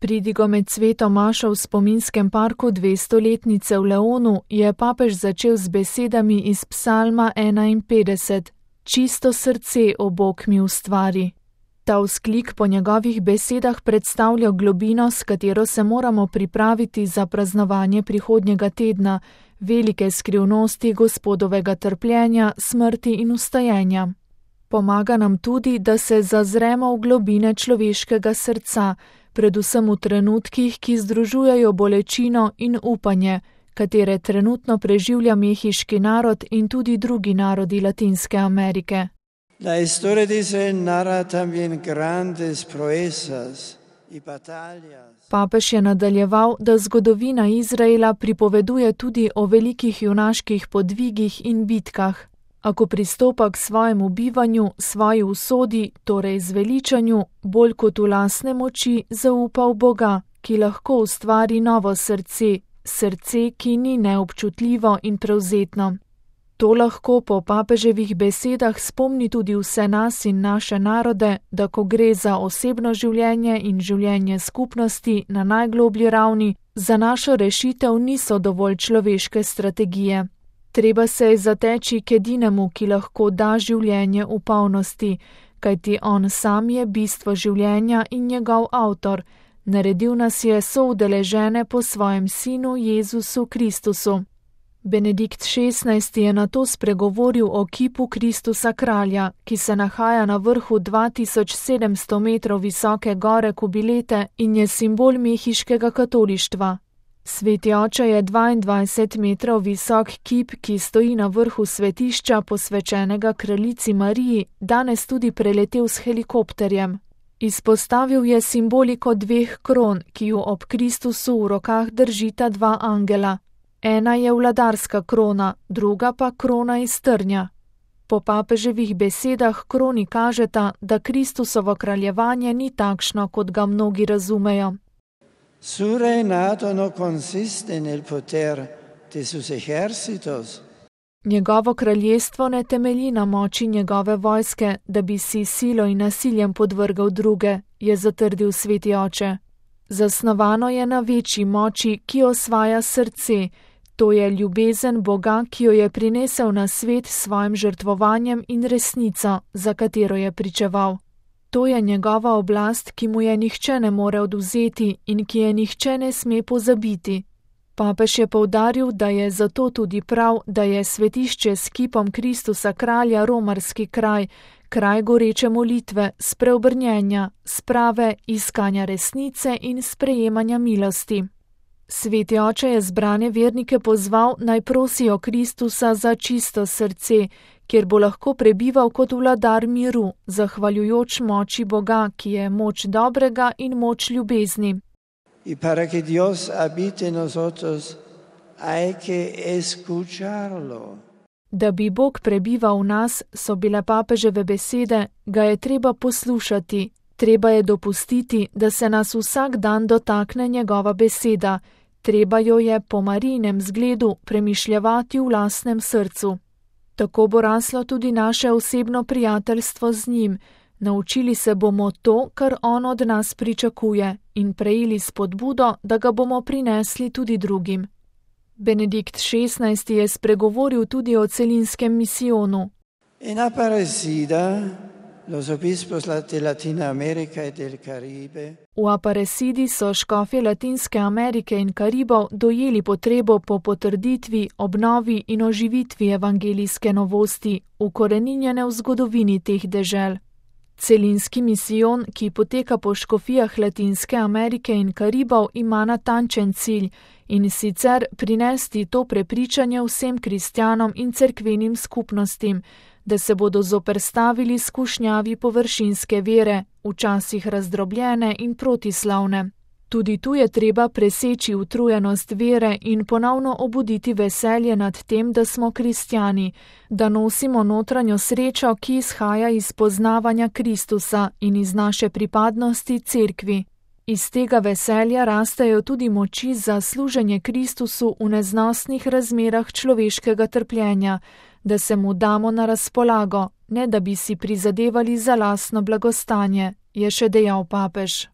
Pridigo med sveto mašo v spominskem parku 200-letnice v Leonu je papež začel z besedami iz psalma 51. Čisto srce, o Bog, mi ustvari. Ta vzklik po njegovih besedah predstavlja globino, s katero se moramo pripraviti za praznovanje prihodnjega tedna, velike skrivnosti Gospodovega trpljenja, smrti in vstajenja. Pomaga nam tudi, da se zazremo v globine človeškega srca, predvsem v trenutkih, ki združujejo bolečino in upanje, katere trenutno preživlja mehiški narod in tudi drugi narodi Latinske Amerike. La historia de Israel narra también grandes proezas y batallas. Papež je nadaljeval, da zgodovina Izraela pripoveduje tudi o velikih junaških podvigih in bitkah. A ko pristopa k svojemu bivanju, svoji usodi, torej zveličanju, bolj kot v lastne moči, zaupa v Boga, ki lahko ustvari novo srce, srce, ki ni neobčutljivo in prevzetno. To lahko po papeževih besedah spomni tudi vse nas in naše narode, da ko gre za osebno življenje in življenje skupnosti na najgloblji ravni, za našo rešitev niso dovolj človeške strategije. Treba se je zateči k edinemu, ki lahko da življenje v polnosti, kajti on sam je bistvo življenja in njegov avtor. Naredil nas je soudeležene po svojem sinu Jezusu Kristusu. Benedikt XVI. Je nato spregovoril o kipu Kristusa kralja, ki se nahaja na vrhu 2700 metrov visoke gore Kubilete in je simbol mehiškega katolištva. Sveti oče je 22 metrov visok kip, ki stoji na vrhu svetišča posvečenega kraljici Mariji, danes tudi preletel s helikopterjem. Izpostavil je simboliko dveh kron, ki ju ob Kristusu v rokah držita dva angela. Ena je vladarska krona, druga pa krona iz trnja. Po papeževih besedah kroni kažeta, da Kristusovo kraljevanje ni takšno, kot ga mnogi razumejo. Su reinado no consiste nel poter de sus ejércitos. Njegovo kraljestvo ne temelji na moči njegove vojske, da bi si silo in nasiljem podvrgal druge, je zatrdil sveti oče. Zasnovano je na večji moči, ki osvaja srce, to je ljubezen Boga, ki jo je prinesel na svet s svojim žrtvovanjem in resnico, za katero je pričeval. To je njegova oblast, ki mu je nihče ne more odvzeti in ki je nihče ne sme pozabiti. Papež je poudaril, da je zato tudi prav, da je svetišče s kipom Kristusa kralja romarski kraj, kraj goreče molitve, spreobrnjenja, sprave, iskanja resnice in sprejemanja milosti. Sveti oče je zbrane vernike pozval, naj prosijo Kristusa za čisto srce, kjer bo lahko prebival kot vladar miru, zahvaljujoč moči Boga, ki je moč dobrega in moč ljubezni. Y para que Dios habite en nosotros, hay que escucharlo. Da bi Bog prebival v nas, so bile papeževe besede, ga je treba poslušati, treba je dopustiti, da se nas vsak dan dotakne njegova beseda, treba jo je po Marijinem zgledu premišljevati v lastnem srcu. Tako bo raslo tudi naše osebno prijateljstvo z njim, naučili se bomo to, kar on od nas pričakuje, in prejeli spodbudo, da ga bomo prinesli tudi drugim. Benedikt XVI. Je spregovoril tudi o celinskem misijonu. En Aparecida, los obispos de Latinoamérica y del Caribe. V Aparecidi so škofje Latinske Amerike in Karibov dojeli potrebo po potrditvi, obnovi in oživitvi evangelijske novosti, ukoreninjene v zgodovini teh dežel. Celinski misijon, ki poteka po škofijah Latinske Amerike in Karibov, ima natančen cilj, in sicer prinesti to prepričanje vsem kristjanom in cerkvenim skupnostim, da se bodo zoperstavili skušnjavi površinske vere, včasih razdrobljene in protislavne. Tudi tu je treba preseči utrujenost vere in ponovno obuditi veselje nad tem, da smo kristjani, da nosimo notranjo srečo, ki izhaja iz poznavanja Kristusa in iz naše pripadnosti cerkvi. Iz tega veselja rastejo tudi moči za služenje Kristusu v neznosnih razmerah človeškega trpljenja, da se mu damo na razpolago, ne da bi si prizadevali za lastno blagostanje, je še dejal papež.